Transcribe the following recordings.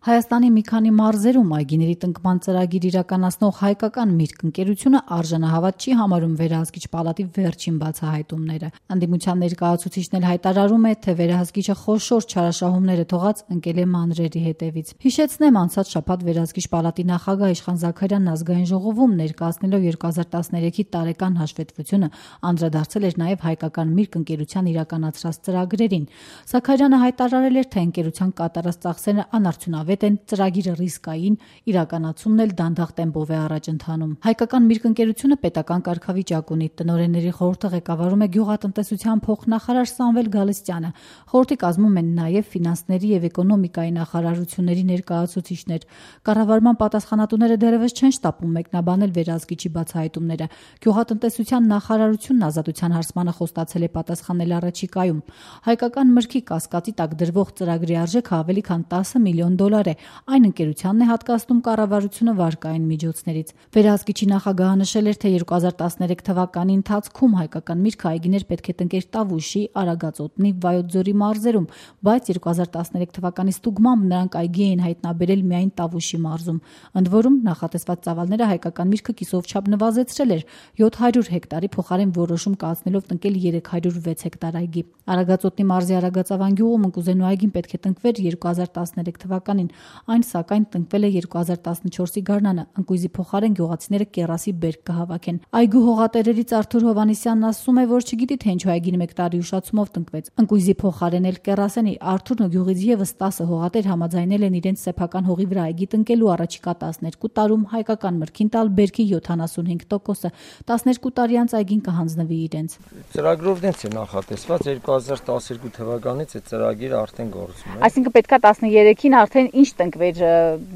Հայաստանի մի քանի մարզերում այգիների տնկման ծրագիր իրականացնող հայկական Միրգ ընկերությունը արժանահավատ չի համարում վերահսկիչ պալատի վերջին բացահայտումները։ Ընդդիմության ներկայացուցիչն էլ հայտարարում է, թե վերահսկիչը խոշոր չարաշահումներ է թողած ընկել է մանրերի հետևից։ Հիշեցնեմ, անցած շաբաթ վերահսկիչ պալատի նախագահ Իշխան Զաքարյանն ազգային ժողովում ներկայացնելով 2013-ի տարեկան հաշվետվությունը անդրադարձել էր նաև հայկական Միրգ ընկերության իրականացրած ծրագրերին։ Զաքարյանը հայտարարել էր, թե ընկերության կատարած ծախսերը անարդյունավետ են, ծրագիրը ռիսկային, իրականացումն էլ դանդաղ տեմպով է առաջ ընթանում։ Հայկական Միրգ ընկերությունը պետական կարգավիճակ ունի։ Տնօրենների խորհուրդը ղեկավարում է գյուղատնտեսության փոխնախարար Սամվել Գալստյանը։ Խորհրդի կազմում են նաև ֆինանսների եւ էկոնոմիկայի նախարարությունների ներկայացուցիչներ։ Կառավարման պատասխանատուները դեռևս չեն շտապում մեկնաբանել վերահսկիչի բացահայտումները։ Գյուղատնտեսության նախարարությունն ազատության հարցմանը խոստացել է պատասխանել առաջիկայում։ Հայկական Մրգի կասկածի տակ դրվող ծրագրի արժեքը ավելի քան 10 միլիոն դոլար է։ Այն ընկերությանն է հատկացնում կառավարությունը վարկային միջոցներից։ Վերահսկիչի նախագահը նշել էր, թե 2013 թվականի ընթացքում հայկական Միրգը այգիներ պետք է տնկեր Տավուշի, Արագածոտնի, Վայոց ձորի մարզերում, բայց 2013 թվականի ստուգմամբ նրանք այգի էին հայտնաբերել միայն Տավուշի մարզում։ Ընդ որում նախատեսված ծավալները հայկական Միրգը կիսով չափ նվազեցրել էր 700 հեկտարի փոխարեն որոշում կայացնելով տնկել 306 հեկտար այգի։ Արագածոտնի մարզի Արագածավան գյուղում ընկուզենու այգին պետք է տնկվեր 2013 թվականին, այն սակայն տնկվել է 2014-ի գարնանը։ Ընկույզի փոխարեն գյուղացիները կեռասի բերք կհավաքեն։ Այգու հողատերերից Արթուր Հովհաննիսյանն ասում է, որ չգիտի թե ինչու այգին 1 տարի ուշացումով տնկվեց։ Ընկույզի փոխարեն էլ կեռասենի Արթուրն ու գյուղից եւս 10 հողատեր համաձայնել են իրենց սեփական հողի վրա այգի տնկելու առաջիկա 12 տարում հայկական Մրգին տալ բերքի 75%-ը, 12 տարի անց այգին կհանձնվի իրենց։ Ծրագրով դենց է նախատեսված 2012 թվականից այդ ծրագիրը արդեն գործում է։ Այսինքն պետքա 13-ին արդեն ինչ տնկվեր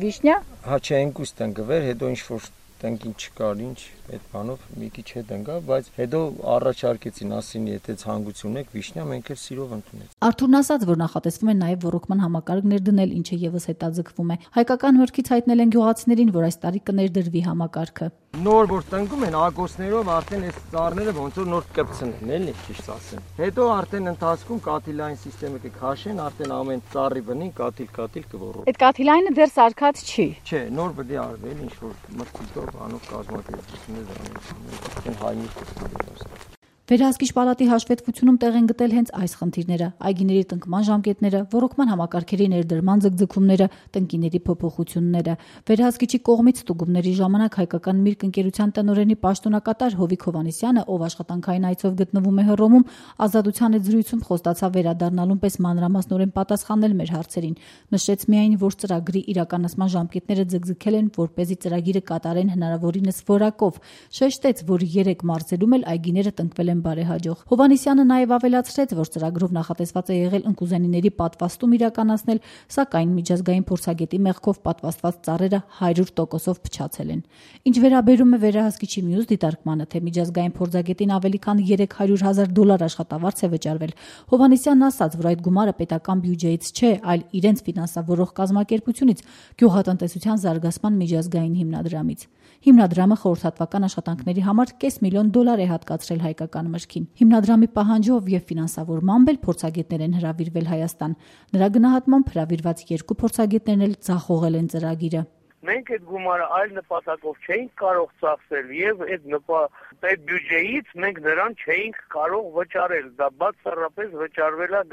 վիշնյա։ Հա չէ, ընկույզ տնկվեր, հետո ինչ որ տնկին չկար, ինչ այդ բանով մի քիչ հետ ընկա, բայց հետո առաջարկեցին, ասին, եթե ցանկություն եք վիշնյա, մենք էլ սիրով ընդունենք։ Արթուրն ասաց, որ նախատեսվում է նաև ռոռոկման համակարգներ դնել, ինչը եւս հետաձգվում է։ Հայկական Մրգից հայտնել են գյուղացիներին, որ այս տարի կներդրվի համակարգը։ Նոր որ տնկում են ագոսներով արդեն այս ծառները ոնց որ նոր կպցնեն, էլի ճիշտ ասեմ։ Հետո արդեն ընթացքում կաթիլային համակարգը կքաշեն, արդեն ամեն ծառի բնին կաթիլ կոռոռ։ Այդ կաթիլայինը դեռ սարքած չի։ Չէ, նոր պետք է արվել, ինչ որ մրցույթով անով կազմակերպություններ են հայտնի։ Վերահսկիչ պալատի հաշվետվությունում տեղ են գտել հենց այս խնդիրները՝ այգիների տնկման ժամկետները, ռոռոկման համակարգերի ներդրման ձգձգումները, տնկիների փոփոխությունները։ Վերահսկիչի կողմից ստուգումների ժամանակ հայկական Միրգ ընկերության տնօրենի պաշտոնակատար Հովիկ Հովհաննիսյանը, ով աշխատանքային այցով գտնվում է Հռոմում, Ազատության այդ զրույցում խոստացավ վերադառնալուն պես մանրամասնորեն պատասխանել մեր հարցերին։ Նշեց միայն, որ ծրագրի իրականացման ժամկետները ձգձգել են, որպեսզի ծրագիրը կատարեն հնարավորինս որակով։ Շեշտեց, որ 3 մարզերում էլ այգիները տնկվել են բարեհաջող։ Հովհաննիսյանը նաև ավելացրեց, որ ծրագրով նախատեսված է եղել ընկուզենիների պատվաստում իրականացնել, սակայն միջազգային փորձագետի մեղքով պատվաստված ծառերը 100%-ով փչացել են։ Ինչ վերաբերում է վերահսկիչի մյուս դիտարկմանը, թե միջազգային փորձագետին ավելի քան $300,000 աշխատավարձ է վճարվել, Հովհաննիսյանն ասաց, որ այդ գումարը պետական բյուջեից չէ, այլ իրենց ֆինանսավորող կազմակերպությունից՝ Գյուղատնտեսության զարգացման միջազգային հիմնադրամից։ Հիմնադրամը խորհրդատվական աշխատանքների համար $500,000 է հատկացրել հայկական Մրգին։ Հիմնադրամի պահանջով եւ ֆինանսավորմամբ էլ փորձագետներ են հրավիրվել Հայաստան։ Նրա գնահատմամբ հրավիրված 2 փորձագետներն էլ ձախողել են ծրագիրը։ Մենք այդ գումարը այլ նպատակով չէինք կարող ծախսել եւ այդ բյուջեից մենք նրան չէինք կարող վճարել, դա բացառապես վճարվել է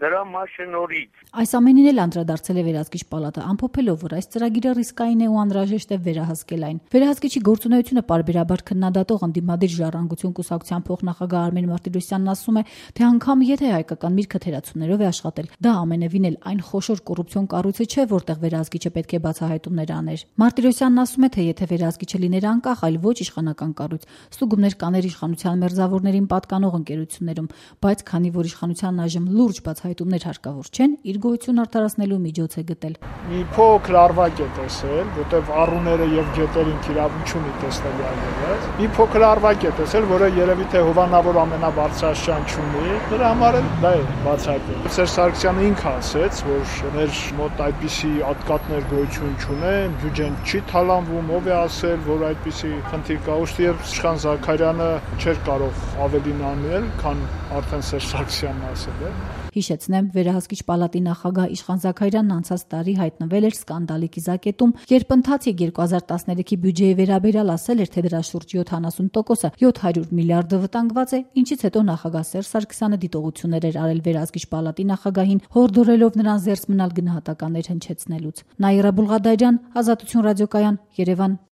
դրա մասնորից։ Այս ամենին էլ անդրադարձել է վերահսկիչ պալատը, ամփոփելով, որ այս ծրագիրը ռիսկային է ու անհրաժեշտ է վերահսկել այն։ Վերահսկիչի գործունեությունը պարբերաբար քննադատող ընդդիմադիր ժառանգություն կուսակցության փոխնախագահ Արմեն Մարտիրոսյանն ասում է, թե անգամ եթե հայկական Միրգը թերացումներով է աշխատել, դա ամենևին էլ այն խոշոր կոռուպցիոն կառույցը չէ, որտեղ վերահսկիչը պետք է բացահայտումներ աներ։ Մարտիրոսյանն ասում է, թե եթե վերահսկիչը լիներ անկախ, այլ ոչ իշխանական կառույց, ստուգումներ կաներ իշխանության մերձավորներին պատկանող ընկերություններում, բայց քանի որ իշխանությանն այժմ լուրջ բացահայտումներ հարկավոր չեն, իր գոյությունը արդարացնելու միջոց է գտել։ Մի փոքր արվակ է տեսել, որտեղ առուները եւ գետերին իրավունք չունի տեսնել այլևս։ Մի փոքր արվակ է տեսել, որը երևի թե հովանավոր ամենաբարձրաշան չունի, դրա համար էլ դա է բացահայտել։ Սերժ Սարգսյանը ինքը ասեց, որ մեր մոտ այդպիսի ատկատներ գոյություն չունեն, բյուջեն չի թալանվում, ով է ասել, որ այդպիսի խնդիր կա, ուստի Իշխան Զաքարյանը չէր կարող ավելին անել, քան արդեն Սերժ Սարգսյանն ասել է։ Հիշեցնեմ, վերահսկիչ պալատի նախագահ Իշխան Զաքարյանն անցած տարի հայտնվել էր սկանդալի կիզակետում, երբ ընթացիկ 2013-ի բյուջեի վերաբերյալ ասել էր, թե դրա շուրջ 70%-ը 700 միլիարդը վտանգված է, ինչից հետո նախագահ Սերժ Սարգսյանը դիտողություններ էր արել վերահսկիչ պալատի նախագահին, հորդորելով նրան զերծ մնալ գնահատականներ հնչեցնելուց։ Նաիրա Բուլղադարյան, Ազատություն ռադիոկայան, Երևան։